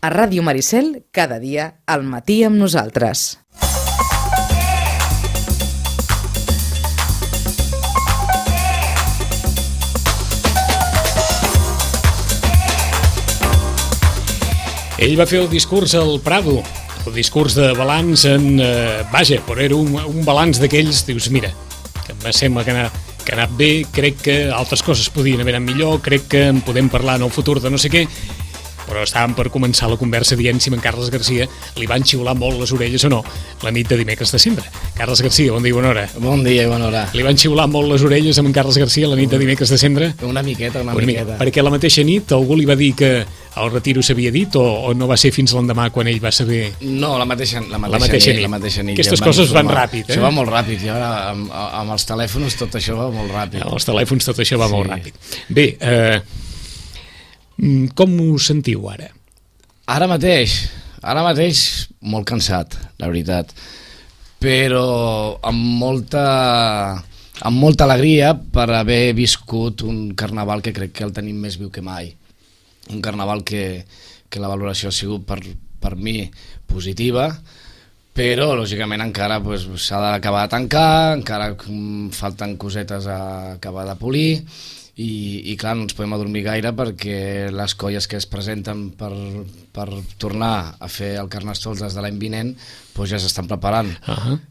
A Ràdio Maricel, cada dia, al matí amb nosaltres. Ell va fer el discurs al Prado, el discurs de balanç vaja, però era un balanç d'aquells, dius, mira, que em sembla que ha anat bé, crec que altres coses podien haver anat millor, crec que en podem parlar en el futur de no sé què, però estàvem per començar la conversa dient si en Carles Garcia li van xiular molt les orelles o no la nit de dimecres de desembre. Carles Garcia, bon dia i bona hora. Bon dia i bona hora. Li van xiular molt les orelles a en Carles Garcia la nit de dimecres de desembre? Una miqueta. Perquè la mateixa nit algú li va dir que el retiro s'havia dit o no va ser fins l'endemà quan ell va saber? No, la mateixa nit. Aquestes coses van ràpid, Això va molt ràpid, i ara amb els telèfons tot això va molt ràpid. Amb els telèfons tot això va molt ràpid. Bé, com us sentiu ara? Ara mateix molt cansat, la veritat, però amb molta alegria per haver viscut un carnaval que crec que el tenim més viu que mai. Un carnaval que la valoració ha sigut per mi positiva, però lògicament encara s'ha d'acabar de tancar, encara falten cosetes a acabar de polir, i clar, no ens podem adormir gaire perquè les colles que es presenten per tornar a fer el Carnestoltes de l'any vinent ja s'estan preparant,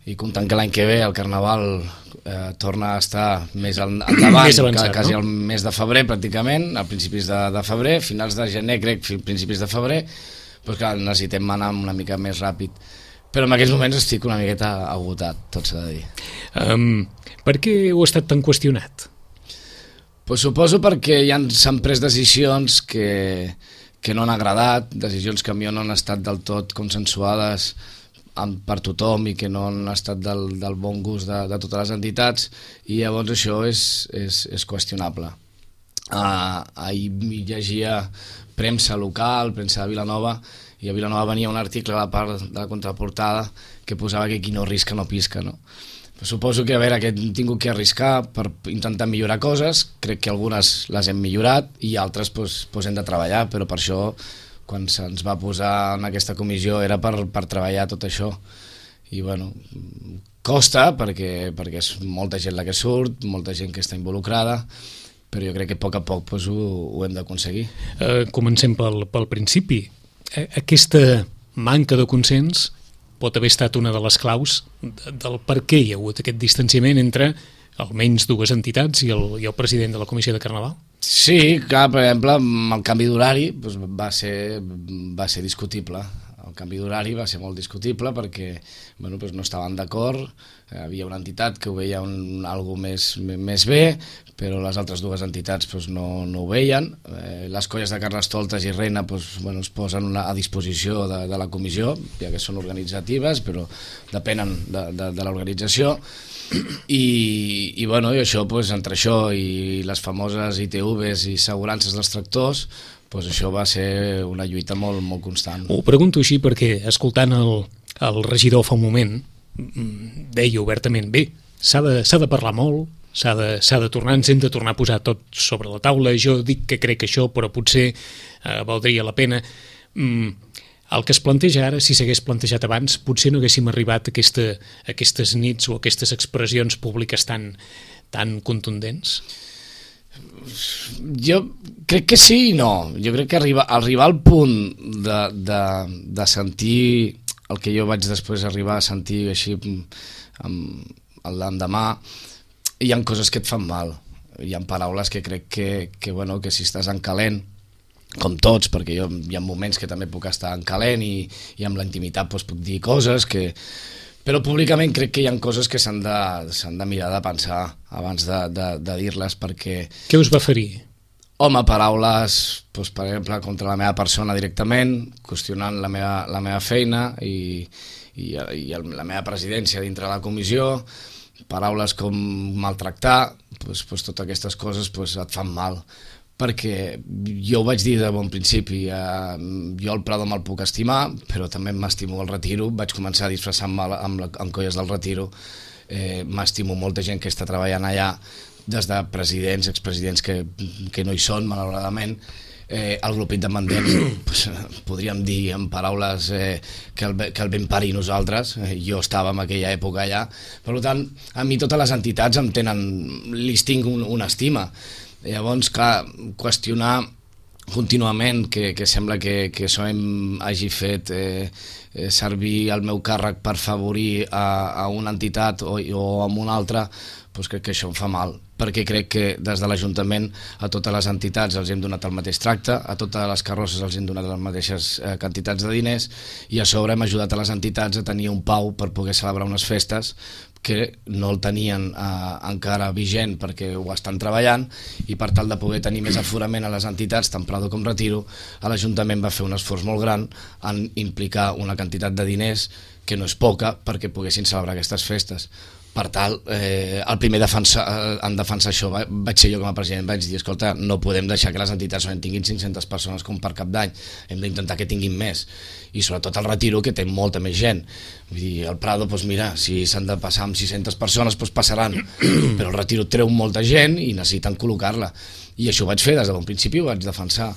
i comptant que l'any que ve el Carnaval torna a estar més endavant, més avançat, quasi al mes de febrer pràcticament, a principis de febrer, finals de gener crec, principis de febrer, clar, necessitem anar una mica més ràpid, però en aquests moments estic una miqueta agotat, tot s'ha de dir. Per què heu estat tan qüestionat? Suposo perquè s'han pres decisions que no han agradat, decisions que a mi no han estat del tot consensuades per tothom i que no han estat del bon gust de totes les entitats, i llavors això és qüestionable. Ahir llegia premsa local, premsa de Vilanova, i a Vilanova venia un article a la part de la contraportada que posava que qui no arrisca no pisca, no? Suposo que, que hem tingut que arriscar per intentar millorar coses, crec que algunes les hem millorat i altres hem de treballar, però per això, quan se'ns va posar en aquesta comissió, era per treballar tot això. I bueno, costa, perquè és molta gent la que surt, molta gent que està involucrada, però jo crec que a poc ho hem d'aconseguir. Comencem pel principi. Aquesta manca de consens pot haver estat una de les claus del per què hi ha hagut aquest distanciament entre almenys dues entitats i el president de la Comissió de Carnaval? Sí, clar, per exemple, amb el canvi d'horari va ser discutible. El canvi d'horari va ser molt discutible perquè no estaven d'acord, havia una entitat que ho veia algo més bé, però les altres dues entitats no ho veien. Les colles de Carnestoltes i Reina es posen a disposició de la comissió, ja que són organitzatives, però depenen de l'organització, i això, entre això i les famoses ITVs i assegurances dels tractors, això va ser una lluita molt, molt constant. Ho pregunto així perquè, escoltant el regidor fa un moment, deia obertament, bé, s'ha de parlar molt, s'ha de tornar, ens hem de tornar a posar tot sobre la taula, jo dic que crec això, però potser valdria la pena. El que es planteja ara, si s'hagués plantejat abans, potser no haguéssim arribat a aquestes nits o a aquestes expressions públiques tan contundents? Jo crec que sí i no. Jo crec que arribar al punt de sentir el que jo vaig després arribar a sentir així l'endemà, hi ha coses que et fan mal, hi ha paraules que crec que si estàs en calent, com tots, perquè hi ha moments que també puc estar en calent i amb la intimitat puc dir coses però públicament crec que hi ha coses que s'han de mirar de pensar abans de dir-les, perquè... Què us va ferir? Home, paraules, per exemple, contra la meva persona directament, qüestionant la meva feina i la meva presidència dintre de la comissió, paraules com maltractar, totes aquestes coses et fan mal, perquè jo ho vaig dir de bon principi, jo el Prado me'l puc estimar, però també m'estimo el Retiro, vaig començar a disfressar-me amb colles del Retiro, m'estimo molta gent que està treballant allà, des de presidents, expresidents que no hi són, malauradament, el grup independent, pues, podríem dir en paraules que el vam parir nosaltres. Jo estava en aquella època allà. Per tant, a mi totes les entitats em tenen, li tinc una estima. Llavors, clar, qüestionar contínuament que sembla que SOEM hagi fet servir el meu càrrec per favorir a una entitat o a una altra, doncs crec que això em fa mal, perquè crec que des de l'Ajuntament a totes les entitats els hem donat el mateix tracte, a totes les carrosses els hem donat les mateixes quantitats de diners, i a sobre hem ajudat a les entitats a tenir un pau per poder celebrar unes festes que no el tenien encara vigent perquè ho estan treballant, i per tal de poder tenir més aforament a les entitats, tant Prado com Retiro, l'Ajuntament va fer un esforç molt gran en implicar una quantitat de diners que no és poca perquè poguessin celebrar aquestes festes. Per tal, el primer en defensar això vaig ser jo com a president. Vaig dir, escolta, no podem deixar que les entitats tinguin 500 persones com per cap d'any, hem d'intentar que tinguin més, i sobretot el Retiro, que té molta més gent. Vull dir, el Prado, doncs mira, si s'han de passar amb 600 persones, doncs passaran, però el Retiro treu molta gent i necessiten col·locar-la, i això ho vaig fer des de bon principi, ho vaig defensar.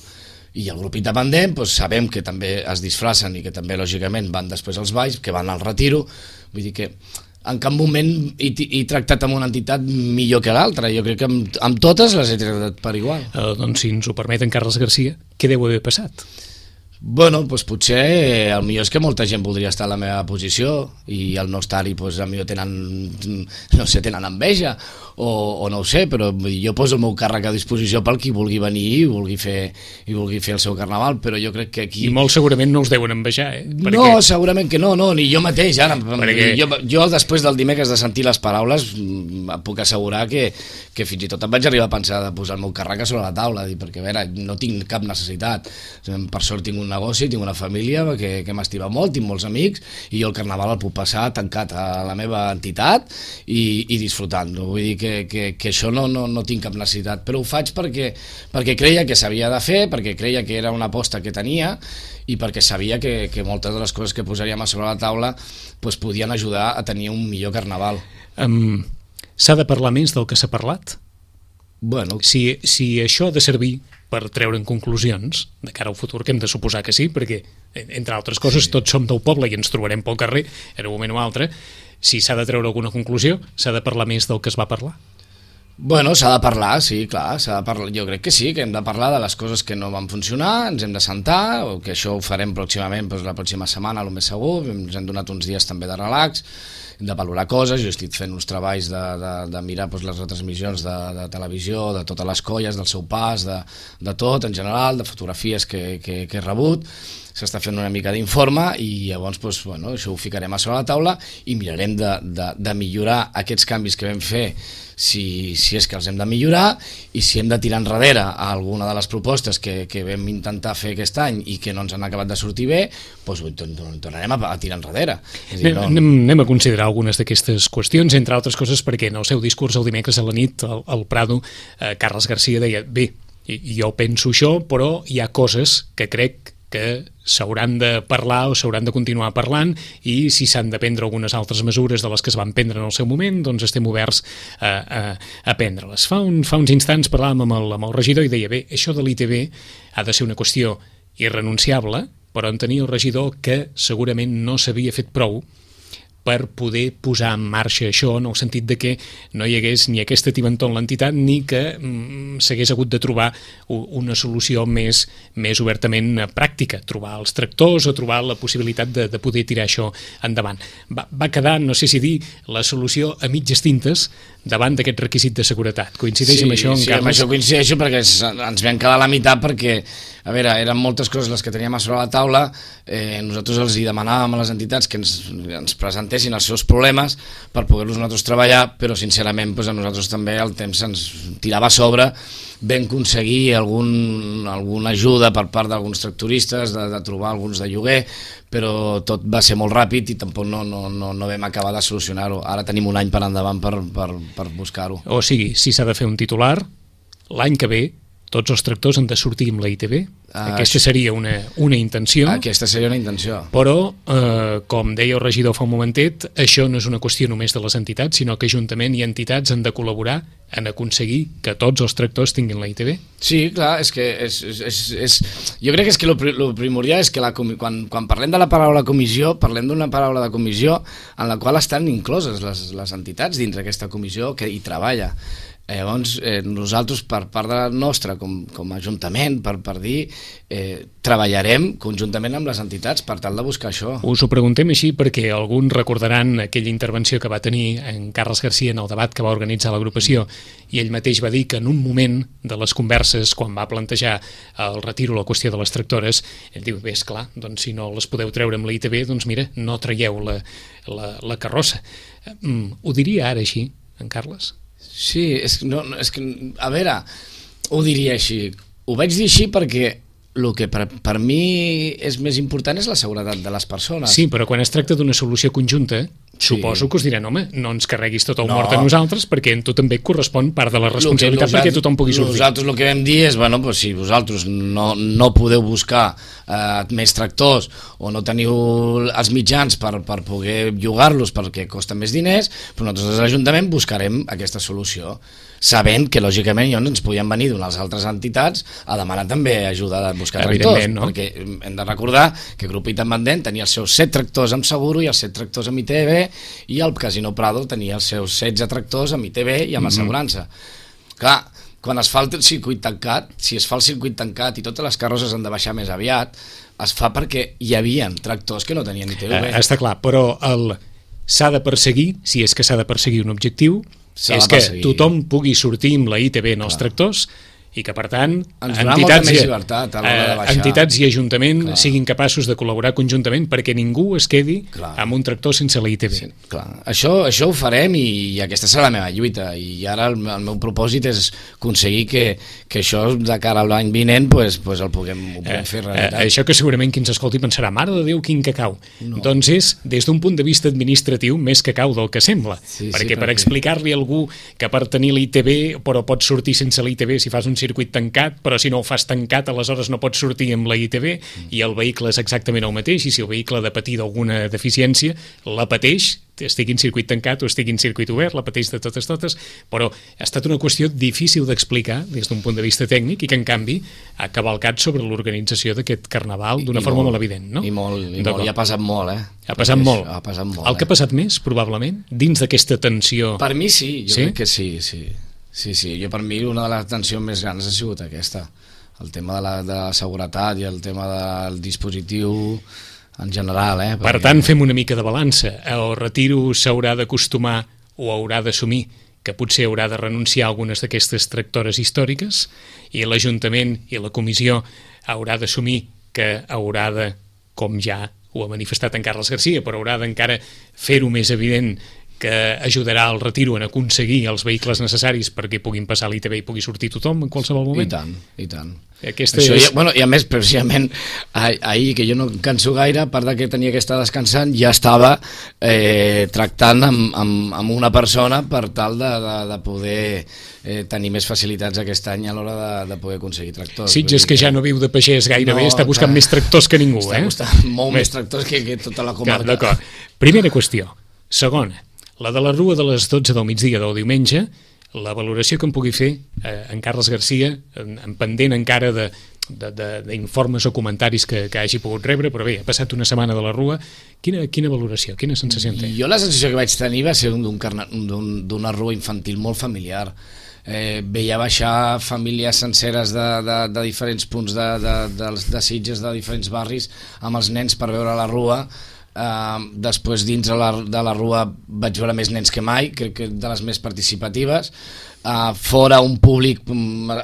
I el grup independent, doncs sabem que també es disfracen i que també lògicament van després als balls, que van al Retiro. Vull dir que en cap moment he tractat amb una entitat millor que l'altra. Jo crec que amb totes les he tractat per igual. Doncs si ens ho permeten, Carles Garcia, què deu haver passat? Bueno, doncs potser el millor és que molta gent voldria estar a la meva posició i al no estar-hi, doncs a millor tenen, no sé, tenen enveja o no ho sé, però jo poso el meu càrrec a disposició pel qui vulgui venir i vulgui fer el seu carnaval, però jo crec que aquí... I molt segurament no els deuen envejar, Perquè... No, segurament que no, ni jo mateix, ara. Perquè... Jo després del dimecres de sentir les paraules puc assegurar que fins i tot em vaig arribar a pensar de posar el meu càrrec a sobre la taula, perquè a veure, no tinc cap necessitat. Per sort tinc un negoci, tinc una família que m'estima molt, tinc molts amics, i jo el carnaval el puc passar tancat a la meva entitat i disfrutant-lo. Vull dir que això no tinc cap necessitat, però ho faig perquè creia que s'havia de fer, perquè creia que era una aposta que tenia i perquè sabia que moltes de les coses que posaríem a sobre la taula doncs podien ajudar a tenir un millor carnaval. S'ha de parlar més del que s'ha parlat? Bueno. Si això ha de servir per treure'n conclusions de cara al futur, que hem de suposar que sí, perquè, entre altres coses, tots som del poble i ens trobarem pel carrer en un moment o altre. Si s'ha de treure alguna conclusió, s'ha de parlar més del que es va parlar? Bueno, s'ha de parlar, sí, clar, s'ha de parlar. Jo crec que sí, que hem de parlar de les coses que no van funcionar, ens hem de sentar, o que això ho farem pròximament, doncs la pròxima setmana, el més segur, ens hem donat uns dies també de relax, de valorar coses. Jo estic fent uns treballs de mirar doncs, les retransmissions de televisió, de totes les colles, del seu pas, de tot en general, de fotografies que he rebut. S'està fent una mica d'informe i llavors doncs, bueno, això ho ficarem a sobre la taula i mirarem de millorar aquests canvis que vam fer, si és que els hem de millorar, i si hem de tirar enrere alguna de les propostes que vam intentar fer aquest any i que no ens han acabat de sortir bé, doncs tornarem a tirar enrere. Anem a considerar algunes d'aquestes qüestions, entre altres coses perquè en el seu discurs el dimecres a la nit al Prado, Carles Garcia deia, bé, jo penso això, però hi ha coses que crec que s'hauran de parlar o s'hauran de continuar parlant, i si s'han de prendre algunes altres mesures de les que es van prendre en el seu moment, doncs estem oberts a prendre-les. Fa uns instants parlàvem amb el regidor i deia, bé, això de l'ITV ha de ser una qüestió irrenunciable, però entenia el regidor que segurament no s'havia fet prou per poder posar en marxa això, en el sentit de que no hi hagués ni aquesta tibantor en l'entitat ni que s'hagués hagut de trobar una solució més obertament pràctica, trobar els tractors o trobar la possibilitat de poder tirar això endavant. Va quedar, no sé si dir, la solució a mitges tintes davant d'aquest requisit de seguretat. Coincideix amb això, en Carles? Sí, amb això coincideixo, perquè ens vam quedar a la meitat, perquè, a veure, eren moltes coses les que teníem a sobre la taula. Nosaltres els hi demanàvem a les entitats que ens presentessin els seus problemes per poder-los nosaltres treballar, però sincerament a nosaltres també el temps ens tirava a sobre. Vam aconseguir alguna ajuda per part d'alguns tractoristes, de trobar alguns de lloguer, però tot va ser molt ràpid i tampoc no vam acabar de solucionar-ho. Ara tenim un any per endavant per buscar-ho. O sigui, si s'ha de fer un titular, l'any que ve tots els tractors han de sortir amb la ITV. Aquesta seria una intenció. Aquesta seria una intenció. Però, com deia el regidor fa un momentet, això no és una qüestió només de les entitats, sinó que Ajuntament i entitats han de col·laborar en aconseguir que tots els tractors tinguin la ITV. Sí, clar, és que jo crec que el primordial és que quan parlem de la paraula comissió, parlem d'una paraula de comissió en la qual estan incloses les entitats dins d'aquesta comissió que hi treballa. Llavors, nosaltres, per part de la nostra, com a Ajuntament, per dir, treballarem conjuntament amb les entitats per tal de buscar això. Us ho preguntem així perquè alguns recordaran aquella intervenció que va tenir en Carles Garcia en el debat que va organitzar l'agrupació, i ell mateix va dir que en un moment de les converses, quan va plantejar el retiro, la qüestió de les tractores, ell diu, bé, esclar, doncs si no les podeu treure amb la ITV, doncs mira, no traieu la carrossa. Ho diria ara així, en Carles? Sí, és que, a veure, ho diria així. Ho vaig dir així perquè el que per mi és més important és la seguretat de les persones. Sí, però quan es tracta d'una solució conjunta, suposo que us diran, home, no ens carreguis tot el mort a nosaltres, perquè a tu també et correspon part de la responsabilitat perquè tothom pugui sortir. Nosaltres el que vam dir és, bueno, pues, si vosaltres no podeu buscar més tractors o no teniu els mitjans per poder llogar-los perquè costen més diners, però nosaltres a l'Ajuntament buscarem aquesta solució, sabent que lògicament ens podien venir d'unes altres entitats a demanar també ajuda a buscar tractors, no? Perquè hem de recordar que Grup Independent tenia els seus 7 tractors amb seguro i els 7 tractors amb ITV, i el Casino Prado tenia els seus 16 tractors amb ITV i amb assegurança. Clar, quan es fa el circuit tancat, si es fa el circuit tancat i totes les carrosses han de baixar més aviat, es fa perquè hi havia tractors que no tenien ITV. Està clar, però s'ha de perseguir, si és que s'ha de perseguir un objectiu, és que tothom pugui sortir amb la ITV en els tractors i que, per tant, entitats i Ajuntament siguin capaços de col·laborar conjuntament perquè ningú es quedi amb un tractor sense la ITV. Sí, clar. Això ho farem i aquesta serà la meva lluita, i ara el meu propòsit és aconseguir que això de cara a l'any vinent el puguem fer realitat. Això que segurament qui ens escolti pensarà, mare de Déu, quin cacau. Doncs és, des d'un punt de vista administratiu, més cacau del que sembla, perquè per explicar-li a algú que per tenir l'ITV però pots sortir sense l'ITV si fas un circuit tancat, però si no ho fas tancat aleshores no pots sortir amb la ITV, i el vehicle és exactament el mateix, i si el vehicle ha de patir d'alguna deficiència, la pateix, estigui en circuit tancat o estigui en circuit obert, la pateix de totes, però ha estat una qüestió difícil d'explicar des d'un punt de vista tècnic i que en canvi ha cavalcat sobre l'organització d'aquest carnaval d'una forma molt evident, no? I ha passat molt, Ha passat molt. El que ha passat més, probablement, dins d'aquesta tensió... Per mi sí, jo crec que sí. Sí, per mi una de les tensions més grans ha sigut aquesta, el tema de la seguretat i el tema del dispositiu en general. Per tant, fem una mica de balança. El retiro s'haurà d'acostumar o haurà d'assumir que potser haurà de renunciar a algunes d'aquestes tractores històriques, i l'Ajuntament i la Comissió haurà d'assumir que haurà de, com ja ho ha manifestat en Carles Garcia, però haurà d'encara fer-ho més evident, que ajudarà al retiro en aconseguir els vehicles necessaris perquè puguin passar l'ITV i pugui sortir tothom en qualsevol moment. I tant. I a més, precisament, ahir, que jo no canso gaire, a part que tenia que estar descansant, ja estava tractant amb una persona per tal de poder tenir més facilitats aquest any a l'hora de poder aconseguir tractors. Sitges, que ja no viu de pagès gairebé, està buscant més tractors que ningú. Està buscant molt més tractors que tota la comarca. D'acord. Primera qüestió. Segona, la de la rua de les 12 del migdia del diumenge, la valoració que en pugui fer en Carles Garcia, en pendent encara d'informes o comentaris que hagi pogut rebre, però bé, ha passat una setmana de la rua. Quina valoració, quina sensació en té? Jo la sensació que vaig tenir va ser d'una rua infantil molt familiar. Veia baixar famílies senceres de diferents punts de Sitges, de diferents barris, amb els nens per veure la rua. Després dins de la rua vaig veure més nens que mai, crec que de les més participatives, fora un públic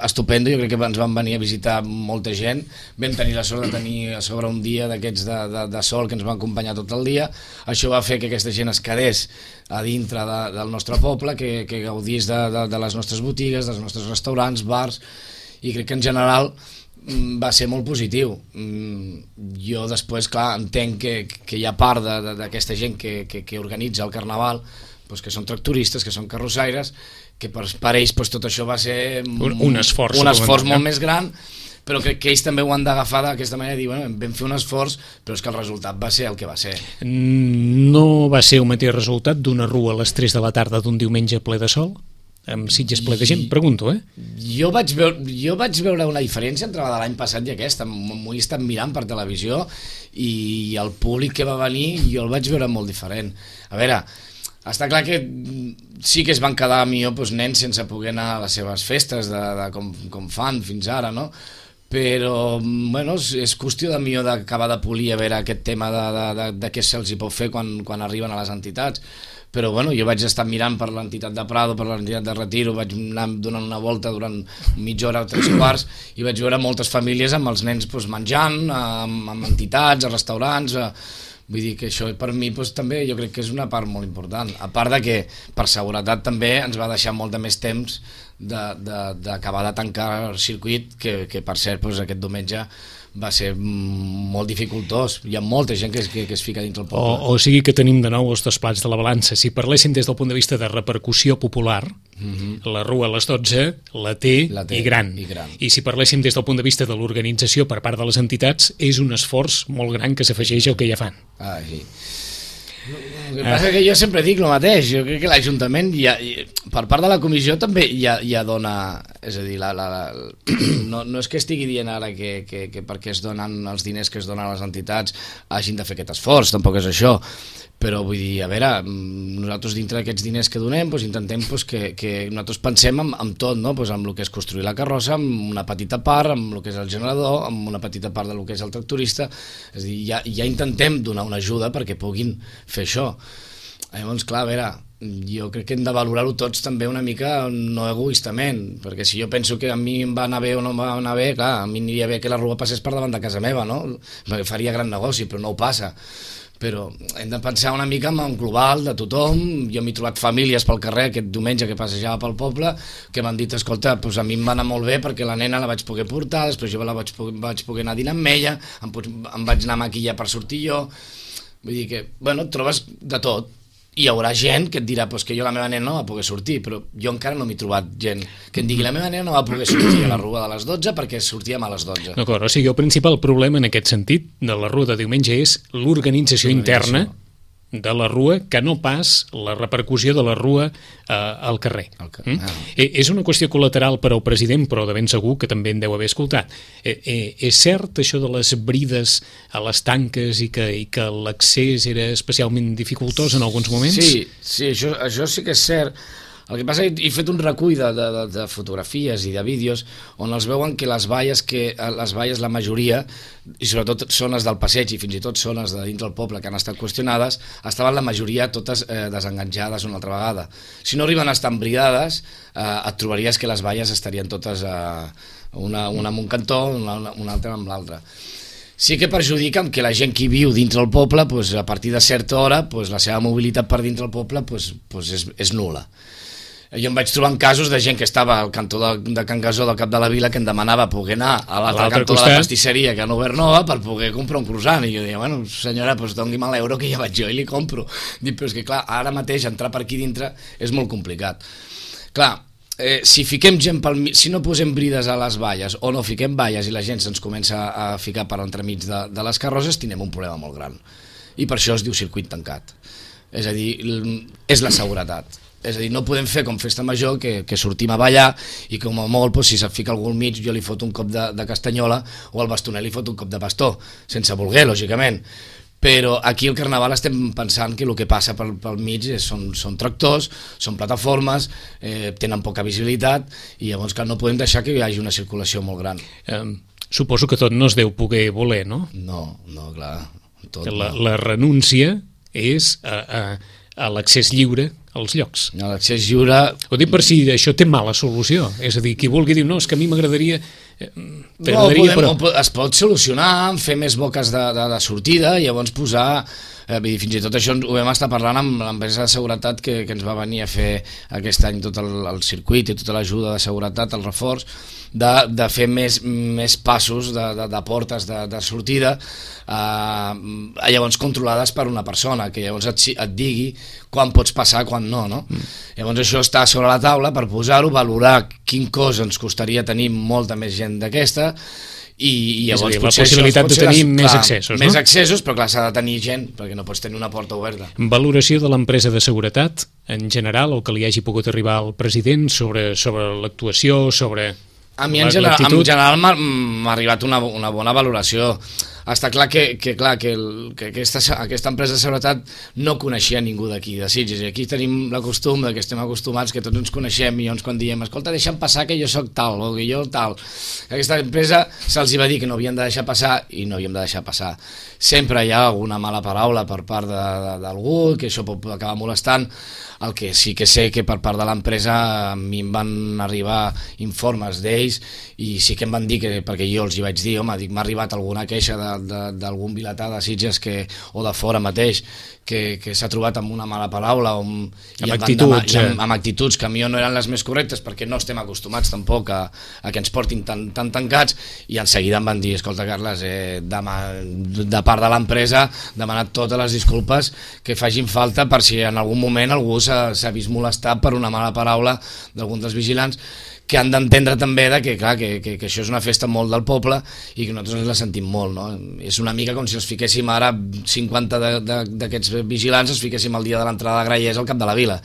estupendo, jo crec que ens van venir a visitar molta gent, vam tenir la sort de tenir a sobre un dia d'aquests de sol que ens va acompanyar tot el dia. Això va fer que aquesta gent es quedés a dintre del nostre poble, que gaudís de les nostres botigues, dels nostres restaurants, bars, i crec que en general va ser molt positiu. Jo després, clar, entenc que hi ha part d'aquesta gent que organitza el carnaval, doncs que són tractoristes, que són carrossaires, que per ells doncs, tot això va ser un esforç molt més gran, però crec que ells també ho han d'agafar d'aquesta manera i dir, bueno, vam fer un esforç, però és que el resultat va ser el que va ser. No va ser el mateix resultat d'una rua a les 3 de la tarda d'un diumenge ple de sol? Amb Sitges ple de gent, pregunto, Jo vaig veure una diferència entre la de l'any passat i aquesta. M'ho he estat mirant per televisió i el públic que va venir jo el vaig veure molt diferent. A veure, està clar que sí que es van quedar millor doncs, nens sense poder anar a les seves festes de com fan fins ara, no? Però bueno, és qüestió de millor d'acabar de polir a veure aquest tema de què se'ls hi pot fer quan arriben a les entitats. Però bueno, jo vaig estar mirant per l'entitat de Prado, per l'entitat de Retiro, vaig anar donant una volta durant mitja hora o 3/4 i vaig veure moltes famílies amb els nens doncs, menjant, amb entitats, a restaurants, vull dir que això per mi doncs, també jo crec que és una part molt important, a part de que per seguretat també ens va deixar molt de més temps d'acabar de tancar el circuit que per cert doncs, aquest diumenge va ser molt dificultós. Hi ha molta gent que es fica dintre el poble. O sigui que tenim de nou els dos plats de la balança. Si parléssim des del punt de vista de repercussió popular, la rua a les 12 la té i gran. I si parléssim des del punt de vista de l'organització per part de les entitats, és un esforç molt gran que s'afegeix al que ja fan. Sí. El que passa és que jo sempre dic el mateix, jo crec que l'Ajuntament per part de la comissió també ja dona, és a dir, no és que estigui dient ara que perquè es donen els diners que es donen a les entitats hagin de fer aquest esforç, tampoc és això, però vull dir, a veure, nosaltres dintre d'aquests diners que donem intentem que nosaltres pensem en tot, no? Amb el que és construir la carrossa, amb una petita part, amb el que és el generador, amb una petita part del que és el tractorista, és a dir, ja intentem donar una ajuda perquè puguin fer això. Llavors, clar, a veure, jo crec que hem de valorar-ho tots també una mica no egoistament, perquè si jo penso que a mi em va anar bé o no em va anar bé, clar, a mi aniria bé que la rua passés per davant de casa meva, no? Faria gran negoci, però no ho passa. Però hem de pensar una mica en global de tothom. Jo m'he trobat famílies pel carrer aquest diumenge que passejava pel poble que m'han dit, escolta, doncs a mi em va anar molt bé perquè la nena la vaig poder portar, després jo vaig poder anar a dinar amb ella, em vaig anar a maquillar per sortir jo. Vull dir que, bueno, et trobes de tot. Hi haurà gent que et dirà que jo la meva nena no va poder sortir, però jo encara no m'he trobat gent que em digui la meva nena no va poder sortir a la rua de les 12 perquè sortíem a les 12. D'acord, o sigui, el principal problema en aquest sentit de la rua de diumenge és l'organització interna de la rua, que no pas la repercussió de la rua al carrer. És una qüestió col·lateral per al president, però de ben segur que també en deu haver escoltat. És cert això de les brides a les tanques i que l'accés era especialment dificultós en alguns moments? Sí, això sí que és cert. El que passa és que he fet un recull de fotografies i de vídeos on els veuen que les valles, la majoria, i sobretot zones del passeig i fins i tot zones de dins del poble que han estat qüestionades, estaven la majoria totes desenganjades una altra vegada. Si no arriben a estar embridades, et trobaries que les valles estarien totes una amb un cantó, una altra amb l'altra. Sí que perjudica que la gent que viu dintre el poble, a partir de certa hora, la seva mobilitat per dintre el poble és nul·la. Jo em vaig trobar en casos de gent que estava al cantó de Can Gasó del cap de la vila que em demanava poder anar a l'altre cantó de la pastisseria que han obert nova per poder comprar un croissant i jo deia, bueno senyora, doni'm l'euro que ja vaig jo i li compro. Dic, però és que clar, ara mateix entrar per aquí dintre és molt complicat. Clar, si fiquem gent si no posem brides a les valles o no fiquem valles i la gent se'ns comença a ficar per entremig de les carrosses, tindrem un problema molt gran. I per això es diu circuit tancat. És a dir, és la seguretat. És a dir, no podem fer com festa major que sortim a ballar i com a molt, si se't fica algú al mig jo li foto un cop de castanyola o al bastoner li foto un cop de bastó, sense voler, lògicament. Però aquí al Carnaval estem pensant que el que passa pel mig són tractors, són plataformes, tenen poca visibilitat i llavors no podem deixar que hi hagi una circulació molt gran. Suposo que tot no es deu poder voler, no? No, clar. La renúncia és a l'accés lliure als llocs. L'accés lliure... Ho dic per si això té mala solució. És a dir, qui vulgui dir, no, és que a mi m'agradaria... Es pot solucionar, fer més boques de sortida i llavors posar... Fins i tot això ho vam estar parlant amb l'empresa de seguretat que ens va venir a fer aquest any tot el circuit i tota l'ajuda de seguretat, el reforç, de fer més passos de portes de sortida, llavors controlades per una persona, que llavors et digui quan pots passar, quan no, no? Llavors això està sobre la taula per posar-ho, valorar quin cost ens costaria tenir molta més gent d'aquesta, i llavors la possibilitat de tenir més accessos, no? Més accessos, però clar, s'ha de tenir gent, perquè no pots tenir una porta oberta. Valoració de l'empresa de seguretat, en general, el que li hagi pogut arribar al president sobre l'actuació, sobre a mi en general m'ha arribat una bona valoració. Està clar que aquesta empresa de seguretat no coneixia ningú d'aquí, de Sitges, i aquí tenim la costum que estem acostumats, que tots ens coneixem, i llavors quan diem, escolta, deixa'm passar que jo soc tal, o que jo tal, aquesta empresa se'ls va dir que no havien de deixar passar, i no havíem de deixar passar. Sempre hi ha alguna mala paraula per part d'algú, que això pot acabar molestant. El que sí que sé que per part de l'empresa a mi em van arribar informes d'ells, i sí que em van dir, perquè jo els hi vaig dir, home, m'ha arribat alguna queixa d'algun vilatà de Sitges o de fora mateix que s'ha trobat amb una mala paraula amb actituds que a mi no eren les més correctes, perquè no estem acostumats tampoc a que ens portin tan tancats, i en seguida em van dir, escolta Carles, de part de l'empresa demanat totes les disculpes que facin falta per si en algun moment algú s'ha vist molestat per una mala paraula d'algun dels vigilants, que han d'entendre també que això és una festa molt del poble i que nosaltres ens la sentim molt, no? És una mica com si els fiquéssim ara 50 d'aquests vigilants, els fiquéssim el dia de l'entrada de Grallers al cap de la vila.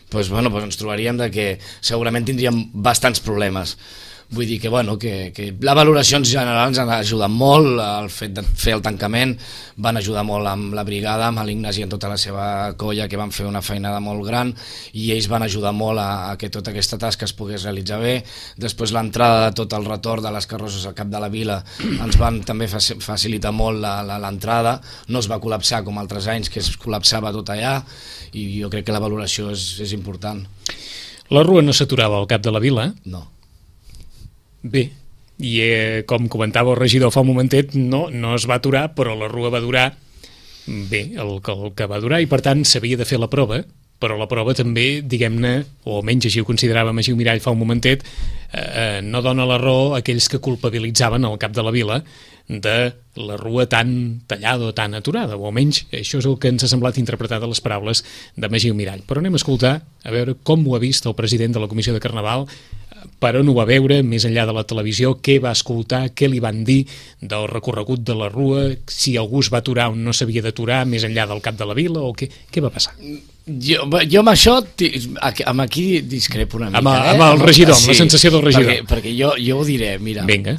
Doncs ens trobaríem que segurament tindríem bastants problemes. Vull dir que la valoració en general ens ha ajudat molt, el fet de fer el tancament, van ajudar molt amb la brigada, amb l'Ignasi i amb tota la seva colla, que van fer una feinada molt gran, i ells van ajudar molt a que tota aquesta tasca es pogués realitzar bé. Després l'entrada de tot el retorn de les carrosses al cap de la vila ens van també facilitar molt l'entrada, no es va col·lapsar com altres anys que es col·lapsava tot allà, i jo crec que la valoració és important. La rua no s'aturava al cap de la vila? No. Bé, i com comentava el regidor fa un momentet, no es va aturar, però la rua va durar bé, el que va durar, i per tant s'havia de fer la prova, però la prova també, diguem-ne, o almenys així ho considerava Magiu Mirall fa un momentet, no dona la raó a aquells que culpabilitzaven al cap de la vila de la rua tan tallada o tan aturada, o almenys això és el que ens ha semblat interpretar de les paraules de Magiu Mirall. Però anem a escoltar, a veure com ho ha vist el president de la Comissió de Carnaval, per on ho va veure, més enllà de la televisió, què va escoltar, què li van dir del recorregut de la rua, si algú es va aturar o no s'havia d'aturar més enllà del cap de la vila, o què va passar? Jo amb això, amb aquí discrepo una mica. Amb el regidor, amb la sensació del regidor. Perquè jo ho diré, mira. Vinga.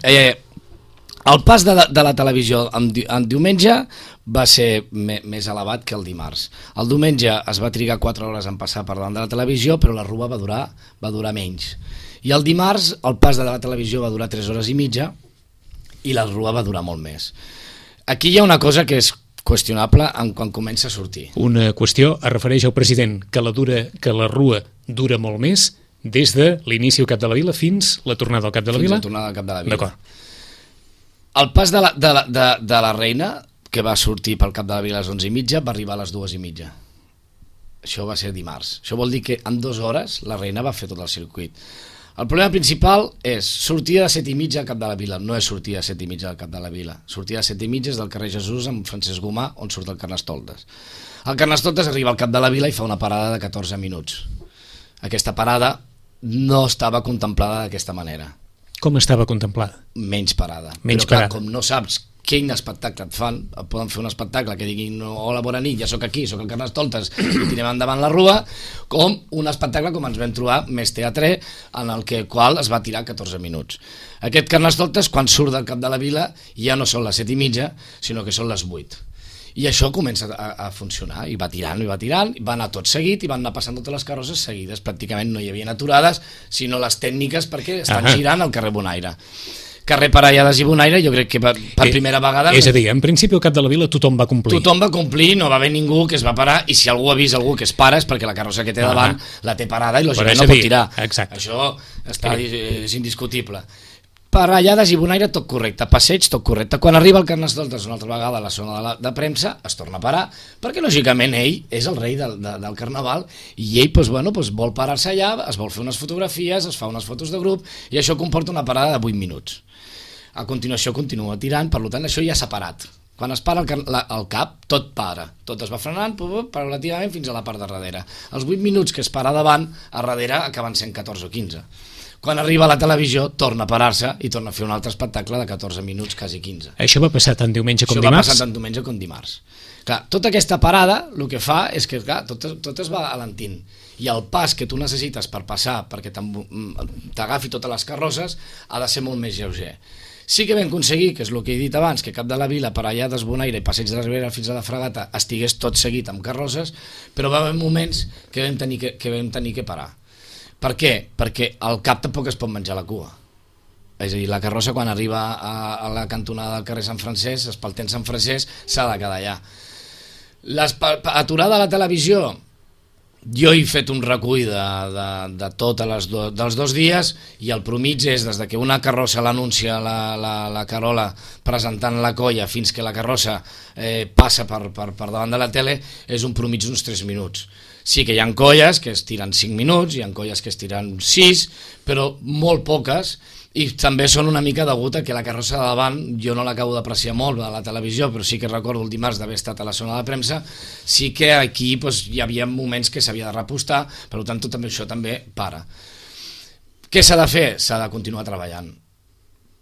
El pas de la televisió en diumenge va ser més elevat que el dimarts. El diumenge es va trigar 4 hores en passar per davant de la televisió, però la rua va durar menys. I el dimarts el pas de la televisió va durar 3 hores i mitja i la rua va durar molt més. Aquí hi ha una cosa que és qüestionable quan comença a sortir. Una qüestió es refereix al president, que la rua dura molt més des de l'inici al cap de la vila fins la tornada al cap de la vila? Fins la tornada al cap de la vila. D'acord. El pas de la reina, que va sortir pel cap de la vila a les 11:30, va arribar a les 2:30. Això va ser dimarts. Això vol dir que en 2 hores la reina va fer tot el circuit. El problema principal és sortida de 7:30 al cap de la vila. No és sortida de 7:30 al cap de la vila. Sortida de 7:30 és del carrer Jesús amb Francesc Gomà, on surt el Carnestoltes. El Carnestoltes arriba al cap de la vila i fa una parada de 14 minuts. Aquesta parada no estava contemplada d'aquesta manera. Com estava contemplada? Menys parada. Menys però clar, parada. com no saps quin espectacle et fan, poden fer un espectacle que diguin hola, bona nit, ja sóc aquí, sóc el Carnestoltes i tirem endavant la rua, com un espectacle com ens vam trobar més teatre, en el qual es va tirar 14 minuts. Aquest Carnestoltes, quan surt del cap de la vila, ja no són les 7:30, sinó que són les 8. I això comença a funcionar, i va tirant, va anar tot seguit, i van anar passant totes les carrosses seguides, pràcticament no hi havia aturades, sinó les tècniques perquè estan girant al carrer Bonaire. Carrer Parellades i Bonaire, jo crec que per primera vegada... És a dir, en principi al cap de la vila tothom va complir. Tothom va complir, no va haver ningú que es va parar, i si algú avisa algú que es para és perquè la carrossa que té davant la té parada i lògicament no pot tirar. Exacte. Això és indiscutible. parellades i bonaire, tot correcte, passeig, tot correcte. Quan arriba el Carnestoltes una altra vegada a la zona de premsa, es torna a parar, perquè lògicament ell és el rei del carnaval i ell vol parar-se allà, es vol fer unes fotografies, es fa unes fotos de grup i això comporta una parada de 8 minuts. A continuació continua tirant, per tant això ja s'ha parat. Quan es para el cap, tot para, tot es va frenant paulativament fins a la part de darrere. Els 8 minuts que es para davant, a darrere acaben sent 14 o 15. Quan arriba a la televisió, torna a parar-se i torna a fer un altre espectacle de 14 minuts, quasi 15. Això va passar tant diumenge com dimarts? Això va passar tant diumenge com dimarts. Clar, tota aquesta parada el que fa és que tot es va alentint i el pas que tu necessites per passar perquè t'agafi totes les carrosses ha de ser molt més lleuger. Sí que vam aconseguir, que és el que he dit abans, que Cap de la Vila, Parellades, Bonaire i Passeig de la Ribera fins a la Fragata estigués tot seguit amb carrosses, però va haver moments que vam tenir que parar. Per què? Perquè el cap tampoc es pot menjar la cua. És a dir, la carrossa quan arriba a la cantonada del carrer Sant Francesc, espaltent Sant Francesc, s'ha de quedar allà. Aturada a la televisió, jo he fet un recull de dels 2 dies i el promig és des que una carrossa l'anuncia la Carola presentant la colla fins que la carrossa passa per davant de la tele, és un promig d'uns 3 minuts. Sí que hi ha colles que es tiren 5 minuts, hi ha colles que es tiren 6, però molt poques, i també són una mica degut a que la carrossa de davant, jo no l'acabo d'apreciar molt a la televisió, però sí que recordo el dimarts d'haver estat a la zona de premsa, sí que aquí hi havia moments que s'havia de repostar, per tant tot això també para. Què s'ha de fer? S'ha de continuar treballant,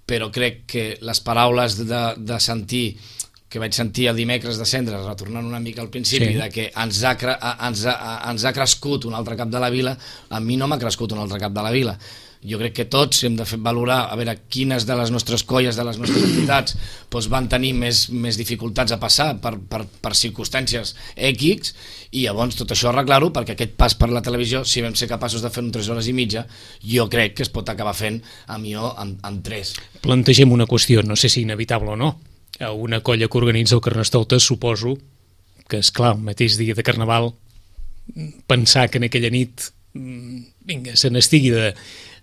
però crec que les paraules de sentir que vaig sentir el dimecres de Cendres, retornant una mica al principi, sí, de que ens ha crescut un altre cap de la vila, a mi no m'ha crescut un altre cap de la vila. Jo crec que tots hem de valorar a veure quines de les nostres colles, de les nostres entitats van tenir més dificultats a passar per circumstàncies X, i llavors tot això arreglar-ho, perquè aquest pas per la televisió, si vam ser capaços de fer-ho en 3 hores i mitja, jo crec que es pot acabar fent en 3. Plantegem una qüestió, no sé si inevitable o no. A una colla que organitza el Carnestoltes, suposo que, esclar, el mateix dia de Carnaval, pensar que en aquella nit se n'estigui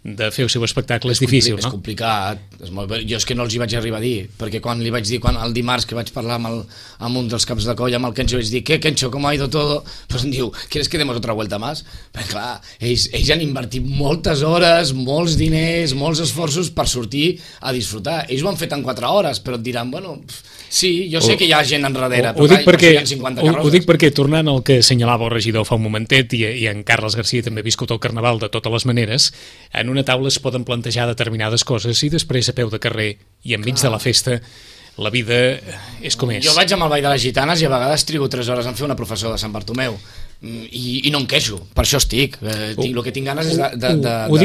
de fer el seu espectacle és difícil, no? És complicat, és molt bé. Jo és que no els hi vaig arribar a dir, perquè quan li vaig dir, el dimarts que vaig parlar amb un dels caps de colla, amb el Kencho, vaig dir, ¿qué, Kencho, cómo ha ido todo? Pues em diu, ¿quieres que demos otra vuelta más? Perquè clar, ells han invertit moltes hores, molts diners, molts esforços per sortir a disfrutar. Ells ho han fet en 4 hores, però et diran, bueno, sí, jo sé que hi ha gent enrere, però ho dic perquè, tornant al que assenyalava el regidor fa un momentet, i en Carles Garcia també ha viscut el Carnaval de totes les maneres, en una taula es poden plantejar determinades coses i després a peu de carrer i enmig de la festa la vida és com és. Jo vaig amb el Ball de les Gitanes i a vegades trigo 3 hores en fer una professó de Sant Bartomeu i no em queixo, per això estic. El que tinc ganes és de ballar. Ho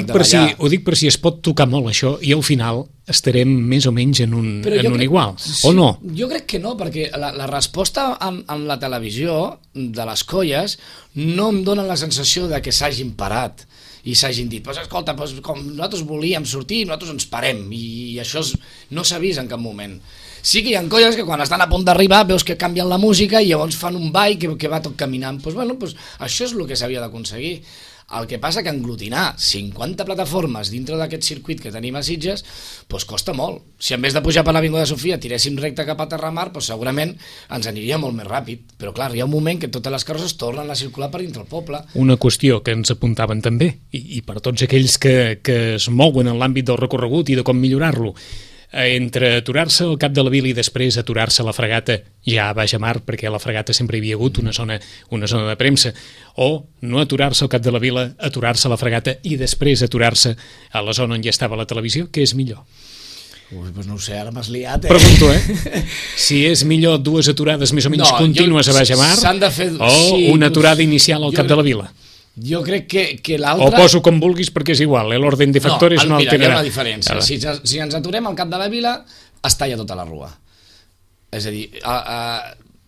dic per si es pot tocar molt això i al final estarem més o menys en un igual, o no? Jo crec que no, perquè la resposta en la televisió de les colles no em dona la sensació de que s'hagin parat i s'hagin dit, escolta, com nosaltres volíem sortir, nosaltres ens parem, i això no s'ha vist en cap moment. Sí que hi ha colles que quan estan a punt d'arribar veus que canvien la música i llavors fan un ball que va tot caminant. Això és el que s'havia d'aconseguir. El que passa que aglutinar 50 plataformes dintre d'aquest circuit que tenim a Sitges costa molt. Si en vez de pujar per l'Avinguda de Sofia tiréssim recte cap a Terramar, segurament ens aniria molt més ràpid. Però clar, hi ha un moment que totes les carrosses tornen a circular per dintre el poble. Una qüestió que ens apuntaven també, i per tots aquells que es mouen en l'àmbit del recorregut i de com millorar-lo, entre aturar-se al Cap de la Vila i després aturar-se a la Fragata ja a Baix Mar, perquè a la Fragata sempre hi havia hagut una zona de premsa, o no aturar-se al Cap de la Vila, aturar-se a la Fragata i després aturar-se a la zona on ja estava la televisió, què és millor? Doncs no ho sé, ara m'has liat, Pregunto, si és millor 2 aturades més o menys contínues a Baix Mar o una aturada inicial al Cap de la Vila? Jo crec que l'altre... O poso com vulguis perquè és igual, l'ordre de factores no alterarà. Hi ha una diferència. Si ens aturem al Cap de la Vila, es talla tota la rua. És a dir,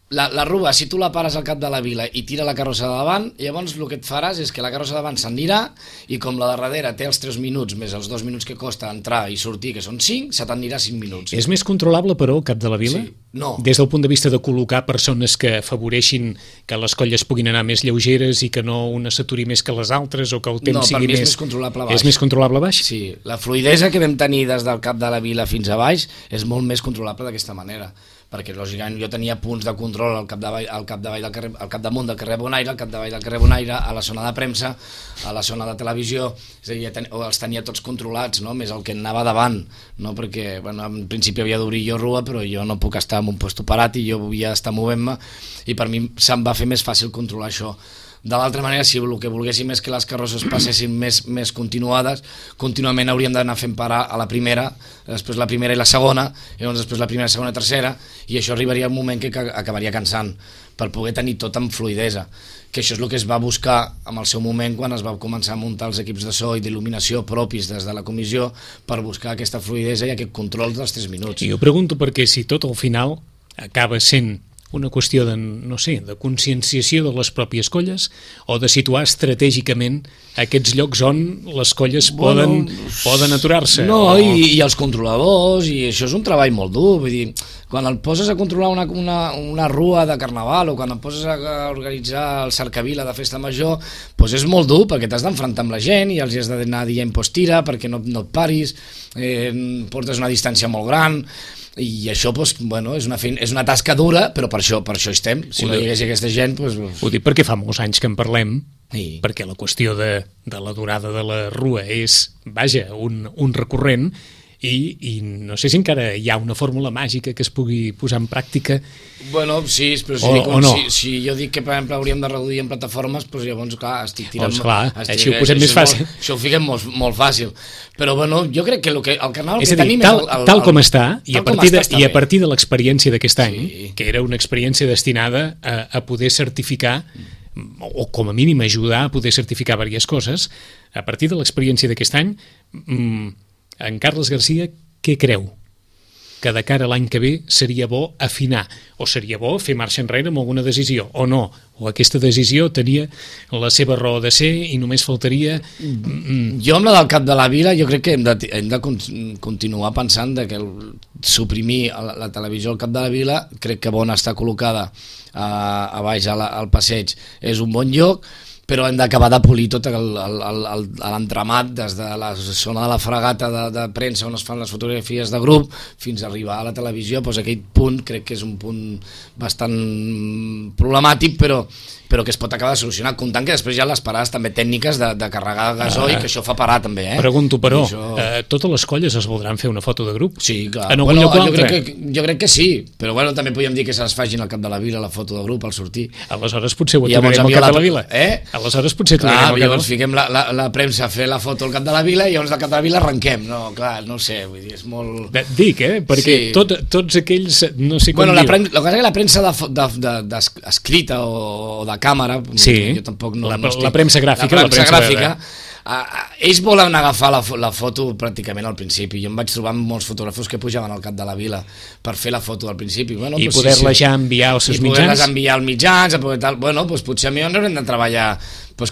la rua, si tu la pares al cap de la vila i tira la carrossa de davant, llavors el que et faràs és que la carrossa de davant s'anirà i com la de darrere té els 3 minuts més els 2 minuts que costa entrar i sortir, que són 5, se t'anirà 5 minuts. És més controlable, però, el cap de la vila? Sí. No. Des del punt de vista de col·locar persones que afavoreixin que les colles puguin anar més lleugeres i que no una s'aturi més que les altres o que el temps sigui més... No, per mi és més controlable a baix. És més controlable a baix? Sí, la fluïdesa que vam tenir des del cap de la vila fins a baix és molt més controlable d'aquesta manera, perquè lògicament jo tenia punts de control al capdavall del carrer, al capdamunt del carrer Bonaire, al capdavall del carrer Bonaire, a la zona de premsa, a la zona de televisió, és a dir, els tenia tots controlats, no? Més el que anava davant, no? Perquè bueno, en principi havia d'obrir jo rua, però jo no puc estar en un lloc parat i jo volia estar movent-me i per mi se'm va fer més fàcil controlar això. De l'altra manera, si el que volguéssim és que les carrosses passessin més continuades, contínuament hauríem d'anar fent parar a la primera, després la primera i la segona, i llavors després la primera, segona i tercera, i això arribaria un moment que acabaria cansant, per poder tenir tot amb fluïdesa, que això és el que es va buscar en el seu moment quan es va començar a muntar els equips de so i d'il·luminació propis des de la comissió per buscar aquesta fluïdesa i aquest control dels 3 minuts. I jo pregunto perquè si tot al final acaba sent una qüestió de, no sé, de conscienciació de les pròpies colles o de situar estratègicament aquests llocs on les colles poden aturar-se. No, i els controladors, i això és un treball molt dur, vull dir, quan et poses a controlar una rua de carnaval o quan et poses a organitzar el cercavila de festa major, doncs és molt dur perquè t'has d'enfrontar amb la gent i els has d'anar dient tira perquè no et paris, portes una distància molt gran, i això doncs, bueno, és una tasca dura, però per això estem. Si no hi hagués aquesta gent... Doncs... Ho dic perquè fa molts anys que en parlem, perquè la qüestió de la durada de la rua és, vaja, un recurrent, i no sé si encara hi ha una fórmula màgica que es pugui posar en pràctica. Bueno, sí, però si jo dic que per exemple hauríem de reduir en plataformes, doncs llavors clar, estic tirant... Doncs clar, així ho posem més fàcil. Això ho fiquem molt fàcil. Però bueno, jo crec que el carnaval que tenim és tal com està, i a partir de l'experiència d'aquest any, que era una experiència destinada a poder certificar o com a mínim ajudar a poder certificar diverses coses, a partir de l'experiència d'aquest any, en Carles Garcia, què creu? Que de cara a l'any que ve seria bo afinar, o seria bo fer marxa enrere amb alguna decisió, o no, o aquesta decisió tenia la seva raó de ser i només faltaria... Jo amb la del cap de la vila jo crec que hem de continuar pensant que suprimir la televisió al cap de la vila, crec que on està col·locada a baix al passeig és un bon lloc, però hem d'acabar de polir tot l'entramat des de la zona de la fregata de premsa on es fan les fotografies de grup fins a arribar a la televisió. Doncs aquell punt crec que és un punt bastant problemàtic, però que es pot acabar de solucionar, comptant que després hi ha les parades també tècniques de carregar gasoil, que això fa parar també. Pregunto, però, totes les colles es voldran fer una foto de grup? Sí, clar. En algun lloc o altre? Jo crec que sí, però bueno, també podríem dir que se les facin al cap de la vila, la foto de grup, al sortir. Aleshores potser ho aturarem al cap de la vila. Aleshores potser aturarem al cap de la vila. Llavors fiquem la premsa a fer la foto al cap de la vila i llavors al cap de la vila arrenquem. No, clar, no sé, vull dir, és molt... Dic, perquè tots aquells, no sé com dir... El que passa és que la premsa escrita o de càmera, jo tampoc no estic... La premsa gràfica, ells volen agafar la foto pràcticament al principi. Jo em vaig trobar amb molts fotògrafos que pujaven al cap de la vila per fer la foto al principi. I poder-la ja enviar als seus mitjans? I poder-les enviar als mitjans, bueno, potser a mi haurem de treballar,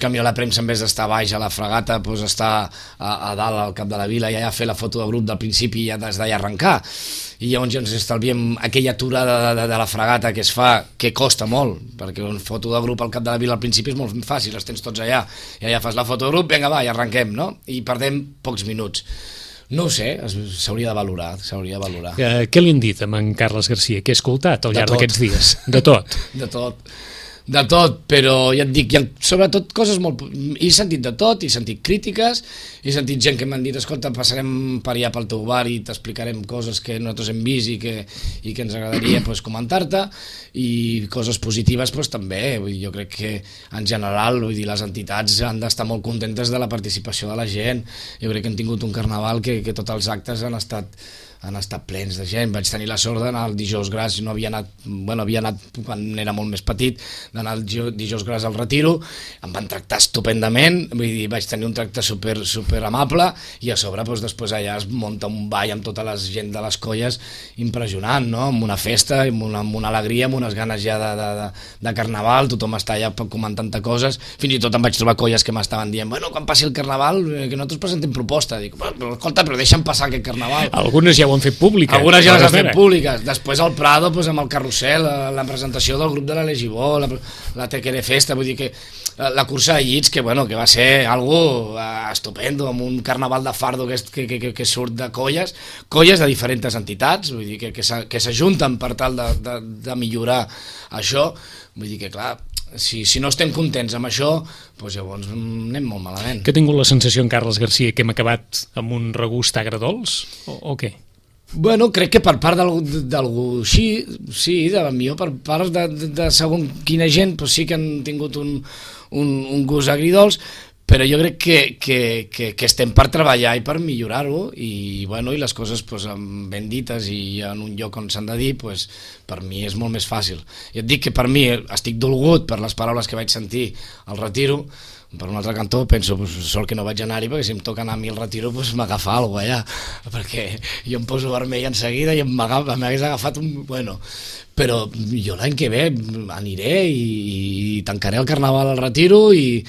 canviar la premsa en vez d'estar baix a la fregata, estar a dalt al cap de la vila i allà fer la foto de grup del principi i ja des d'allà arrencar. I llavors ja ens estalviem aquella aturada de la fregata que es fa, que costa molt, perquè una foto de grup al cap de la vila al principi és molt fàcil, les tens tots allà, i allà fas la foto de grup, vinga va, i arrenquem, no? I perdem pocs minuts. No ho sé, s'hauria de valorar. Què li han dit a en Carles Garcia? Què ha escoltat al llarg d'aquests dies? De tot? De tot, però ja et dic, sobretot coses molt... He sentit de tot, he sentit crítiques, he sentit gent que m'han dit, escolta, passarem per allà pel teu bar i t'explicarem coses que nosaltres hem vist i que ens agradaria comentar-te, i coses positives també. Jo crec que en general les entitats han d'estar molt contentes de la participació de la gent. Jo crec que hem tingut un carnaval que tots els actes han estat han estat plens de gent. Vaig tenir la sort d'anar el dijous gras, no havia anat, havia anat quan era molt més petit, d'anar el dijous gras al Retiro, em van tractar estupendament, vull dir, vaig tenir un tracte super amable, i a sobre després allà es munta un ball amb tota la gent de les colles impressionant, no? Amb una festa, amb una alegria, amb unes ganes ja de carnaval, tothom està allà comentant coses, fins i tot em vaig trobar colles que m'estaven dient, bueno, quan passi el carnaval, que nosaltres presentem proposta. Dic, però escolta, però deixa'm passar aquest carnaval. Algunes ja ho han fet públiques. Algunes ja les han fet públiques. Després al Prado, amb el carrusel, la presentació del grup de la Legibó, la Tequere Festa, vull dir que la cursa de llits, que va ser algo estupendo, amb un carnaval de fardo que surt de colles de diferents entitats, vull dir que s'ajunten per tal de millorar això. Vull dir que, clar, si no estem contents amb això, doncs llavors anem molt malament. Que ha tingut la sensació en Carles Garcia que hem acabat amb un regust agredolç o què? Bueno, crec que per part d'algú sí, millor per part de segon quina gent sí que han tingut un gust agridolç, però jo crec que estem per treballar i per millorar-ho, i les coses ben dites i en un lloc on s'han de dir, per mi és molt més fàcil. I et dic que per mi estic dolgut per les paraules que vaig sentir al Retiro. Per un altre cantó penso, sort que no vaig anar-hi, perquè si em toca anar a mi al Retiro m'agafa alguna cosa allà, perquè jo em poso vermell en seguida i m'hagués agafat un... Bueno, però jo l'any que ve aniré i tancaré el carnaval al Retiro i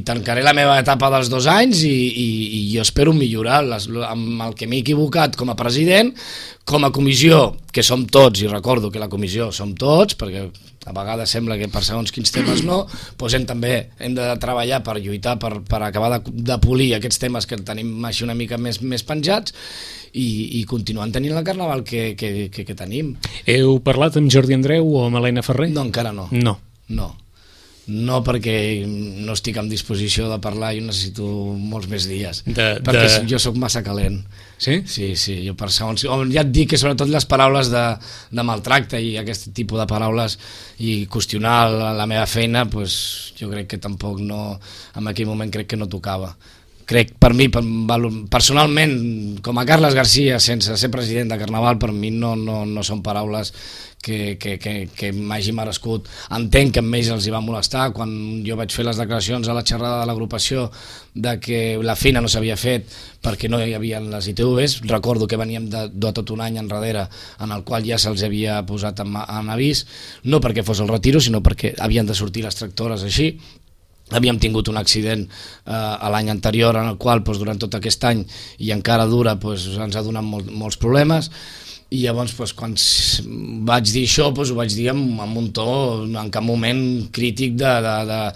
tancaré la meva etapa dels 2 anys i jo espero millorar amb el que m'he equivocat com a president, com a comissió, que som tots, i recordo que la comissió som tots, perquè a vegades sembla que per segons quins temes no, doncs hem de treballar per lluitar, per acabar de polir aquests temes que tenim així una mica més penjats i continuant tenint el carnaval que tenim. Heu parlat amb Jordi Andreu o amb Helena Ferrer? No, encara no. No, perquè no estic en disposició de parlar i necessito molts més dies, perquè jo sóc massa calent. Sí? Sí, jo per segons... Ja et dic que sobretot les paraules de maltracte i aquest tipus de paraules i qüestionar la meva feina, jo crec que tampoc no, en aquell moment crec que no tocava. Crec, per mi, personalment, com a Carles Garcia, sense ser president de Carnaval, per mi no són paraules que m'hagi merescut. Entenc que amb ells els hi va molestar quan jo vaig fer les declaracions a la xerrada de l'agrupació de que la feina no s'havia fet perquè no hi havia les ITVs. Recordo que veníem de tot un any enrere en el qual ja se'ls havia posat en avís, no perquè fos el Retiro, sinó perquè havien de sortir les tractores així. Havíem tingut un accident l'any anterior en el qual durant tot aquest any i encara dura ens ha donat molts problemes, i llavors quan vaig dir això ho vaig dir amb un to en cap moment crític d'anar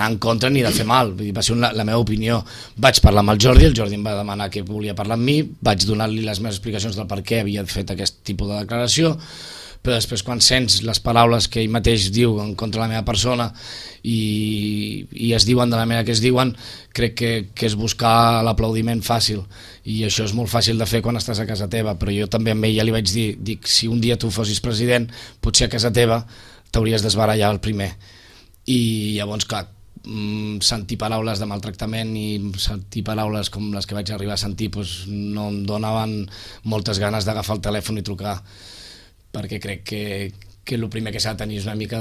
en contra ni de fer mal. Va ser la meva opinió. Vaig parlar amb el Jordi em va demanar que volia parlar amb mi, vaig donar-li les meves explicacions del per què havia fet aquest tipus de declaració, però després quan sents les paraules que ell mateix diu en contra de la meva persona i es diuen de la manera que es diuen, crec que és buscar l'aplaudiment fàcil, i això és molt fàcil de fer quan estàs a casa teva. Però jo també amb ell ja li vaig dir, si un dia tu fossis president, potser a casa teva t'hauries d'esbarallar el primer. I llavors, clar, sentir paraules de maltractament i sentir paraules com les que vaig arribar a sentir no em donaven moltes ganes d'agafar el telèfon i trucar, perquè crec que el primer que s'ha de tenir és una mica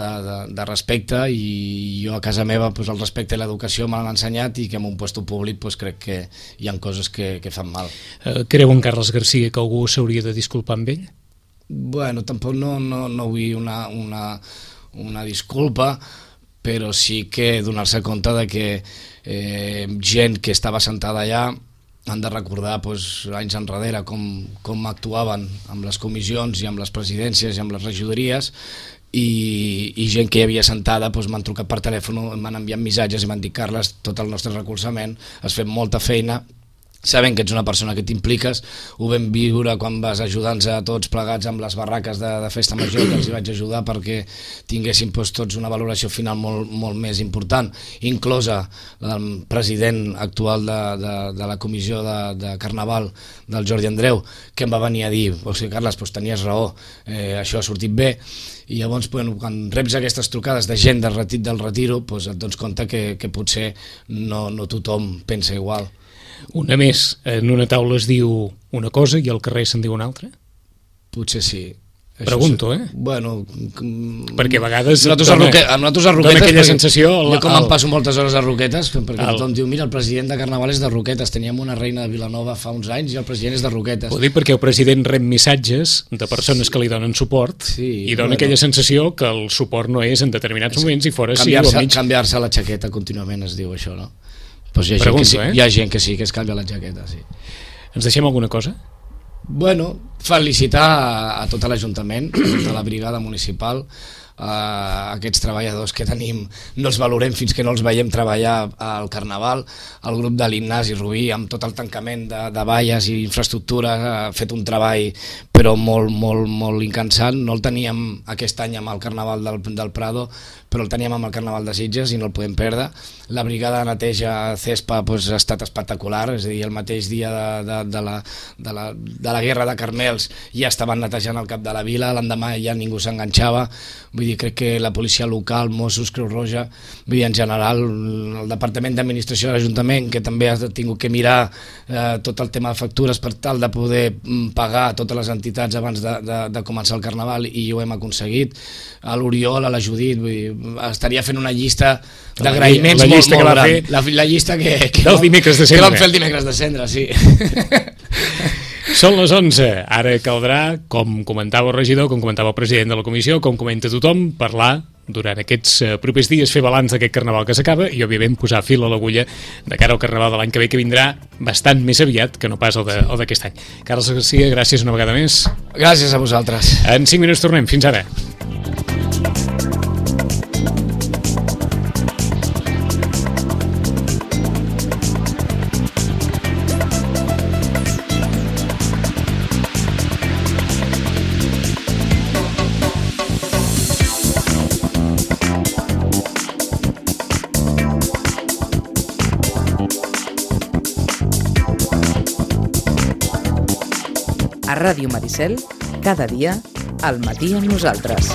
de respecte, i jo a casa meva el respecte i l'educació me l'han ensenyat, i que en un lloc públic crec que hi ha coses que fan mal. Creu en Carles Garcia que algú s'hauria de disculpar amb ell? Bueno, tampoc no vull una disculpa, però sí que donar-se compte de que gent que estava sentada allà han de recordar anys enrere com actuaven amb les comissions i amb les presidències i amb les regidories, i gent que hi havia sentada m'han trucat per telèfon, m'han enviat missatges i m'han dit: Carles, tot el nostre recolzament, has fet molta feina, sabent que ets una persona que t'impliques, ho vam viure quan vas ajudar-nos a tots plegats amb les barraques de festa major, que els hi vaig ajudar perquè tinguéssim tots una valoració final molt més important, inclosa la del president actual de la comissió de Carnaval, del Jordi Andreu, que em va venir a dir: Carles, tenies raó, això ha sortit bé. I llavors, quan reps aquestes trucades de gent del Retiro, et dones compte que potser no tothom pensa igual. Una més, en una taula es diu una cosa i al carrer se'n diu una altra? Potser sí. Pregunto, Bueno... Perquè a vegades nosaltres a Roquetes... Dona aquella sensació... Jo com em passo moltes hores a Roquetes, perquè tothom diu, mira, el president de Carnaval és de Roquetes, teníem una reina de Vilanova fa uns anys i el president és de Roquetes. Ho dic perquè el president rep missatges de persones que li donen suport i dona aquella sensació que el suport no és en determinats moments i fora sí o mig... Canviar-se la jaqueta contínuament es diu això, no? Pues hi ha gent que sí que es canvia la jaqueta, sí. Ens deixem alguna cosa? Bueno, felicitar a tot l'Ajuntament, a tota la brigada municipal, aquests treballadors que tenim no els valorem fins que no els veiem treballar al Carnaval. El grup de l'Ignasi Rubí, amb tot el tancament de valles i infraestructura, ha fet un treball però molt incansant. No el teníem aquest any amb el Carnaval del Prado, però el teníem amb el Carnaval de Sitges i no el podem perdre. La brigada de neteja CESPA ha estat espectacular, és a dir, el mateix dia de la guerra de Carmels ja estaven netejant el cap de la vila, l'endemà ja ningú s'enganxava. Vull dir, crec que la policia local, Mossos, Creu Roja, vull dir, en general el Departament d'Administració de l'Ajuntament, que també ha tingut que mirar tot el tema de factures per tal de poder pagar totes les entitats abans de començar el Carnaval, i ho hem aconseguit. A l'Oriol, a la Judit, vull dir, estaria fent una llista d'agraïments molt gran. La llista que del dimecres de cendre. Que vam fer el dimecres de cendre, sí. Són les 11. Ara caldrà, com comentava el regidor, com comentava el president de la comissió, com comenta tothom, parlar durant aquests propers dies, fer balanç d'aquest Carnaval que s'acaba i, òbviament, posar fil a l'agulla de cara al Carnaval de l'any que ve, que vindrà bastant més aviat que no pas el d'aquest any. Carles Garcia, gràcies una vegada més. Gràcies a vosaltres. En 5 minuts tornem. Fins ara. A Ràdio Maricel, cada dia, al matí amb nosaltres.